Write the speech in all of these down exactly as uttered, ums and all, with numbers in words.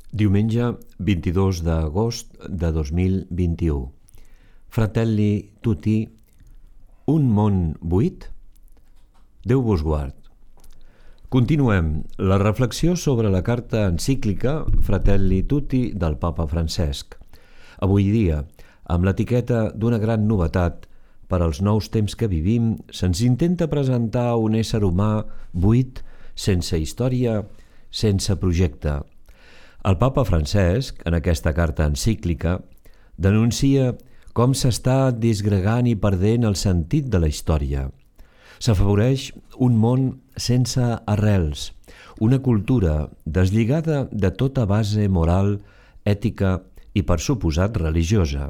Diumenge vint-i-dos d'agost de dos mil vint-i-u. Fratelli tutti, un món buit? Déu vos guard. Continuem la reflexió sobre la carta encíclica Fratelli tutti del Papa Francesc. Avui dia, amb l'etiqueta d'una gran novetat per als nous temps que vivim, se'ns intenta presentar un ésser humà buit, sense història, sense projecte. El Papa Francesc, en aquesta carta encíclica, denuncia com s'està disgregant i perdent el sentit de la història. S'afavoreix un món sense arrels, una cultura deslligada de tota base moral, ètica i, per suposat, religiosa.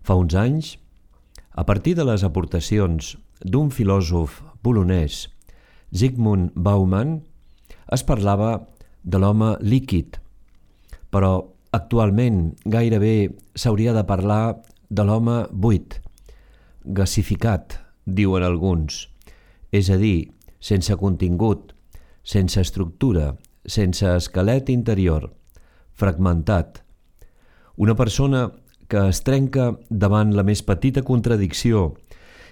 Fa uns anys, a partir de les aportacions d'un filòsof polonès, Zygmunt Bauman, es parlava de l'home líquid, però actualment gairebé s'hauria de parlar de l'home buit, gasificat, diuen alguns, és a dir, sense contingut, sense estructura, sense esquelet interior, fragmentat. Una persona que es trenca davant la més petita contradicció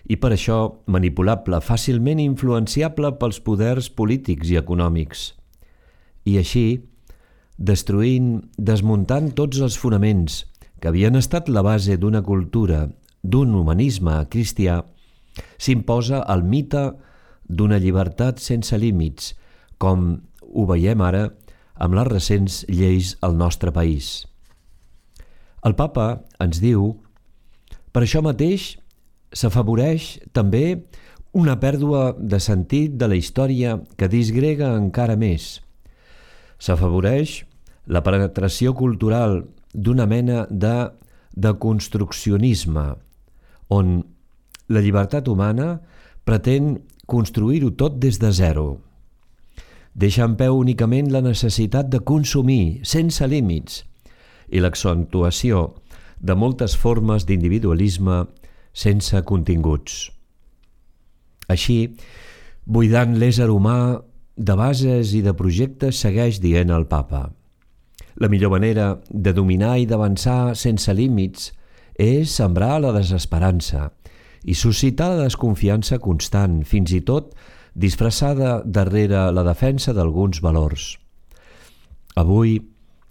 i per això manipulable, fàcilment influenciable pels poders polítics i econòmics. I així, destruint, desmuntant tots els fonaments que havien estat la base d'una cultura, d'un humanisme cristià, s'imposa el mite d'una llibertat sense límits, com ho veiem ara amb les recents lleis al nostre país. El Papa ens diu, per això mateix s'afavoreix també una pèrdua de sentit de la història que disgrega encara més. S'afavoreix la penetració cultural d'una mena de deconstruccionisme, on la llibertat humana pretén construir-ho tot des de zero. Deixa en peu únicament la necessitat de consumir, sense límits, i l'accentuació de moltes formes d'individualisme sense continguts. Així, buidant l'ésser humà de bases i de projectes, segueix dient el Papa. La millor manera de dominar i d'avançar sense límits és sembrar la desesperança i suscitar la desconfiança constant, fins i tot disfressada darrere la defensa d'alguns valors. Avui,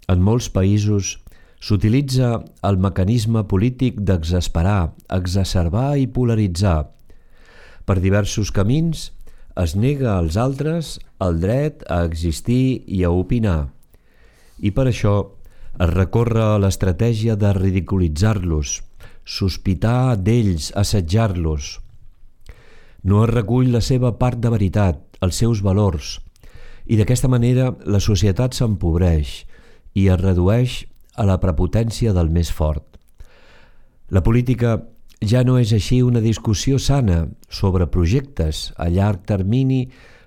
en molts països, s'utilitza el mecanisme polític d'exasperar, exacerbar i polaritzar. Per diversos camins es nega als altres el dret a existir i a opinar, i per això es recorre a l'estratègia de ridiculitzar-los, sospitar d'ells, assetjar-los. No es recull la seva part de veritat, els seus valors, i d'aquesta manera la societat s'empobreix i es redueix a la prepotència del més fort. La política ja no és així una discussió sana sobre projectes a llarg termini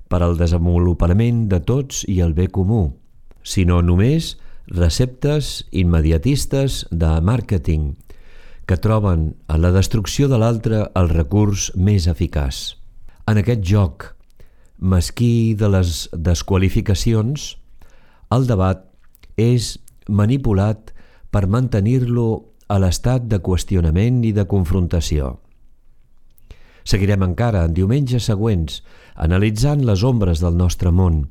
per al desenvolupament de tots i el bé comú, sinó només receptes immediatistes de màrqueting que troben en la destrucció de l'altre el recurs més eficaç. En aquest joc mesquí de les desqualificacions, el debat és manipulat per mantenir-lo a l'estat de qüestionament i de confrontació. Seguirem encara en diumenges següents analitzant les ombres del nostre món,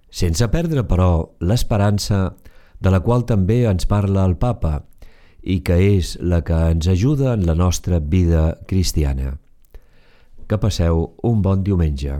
sense perdre, però, l'esperança de la qual també ens parla el Papa i que és la que ens ajuda en la nostra vida cristiana. Que passeu un bon diumenge.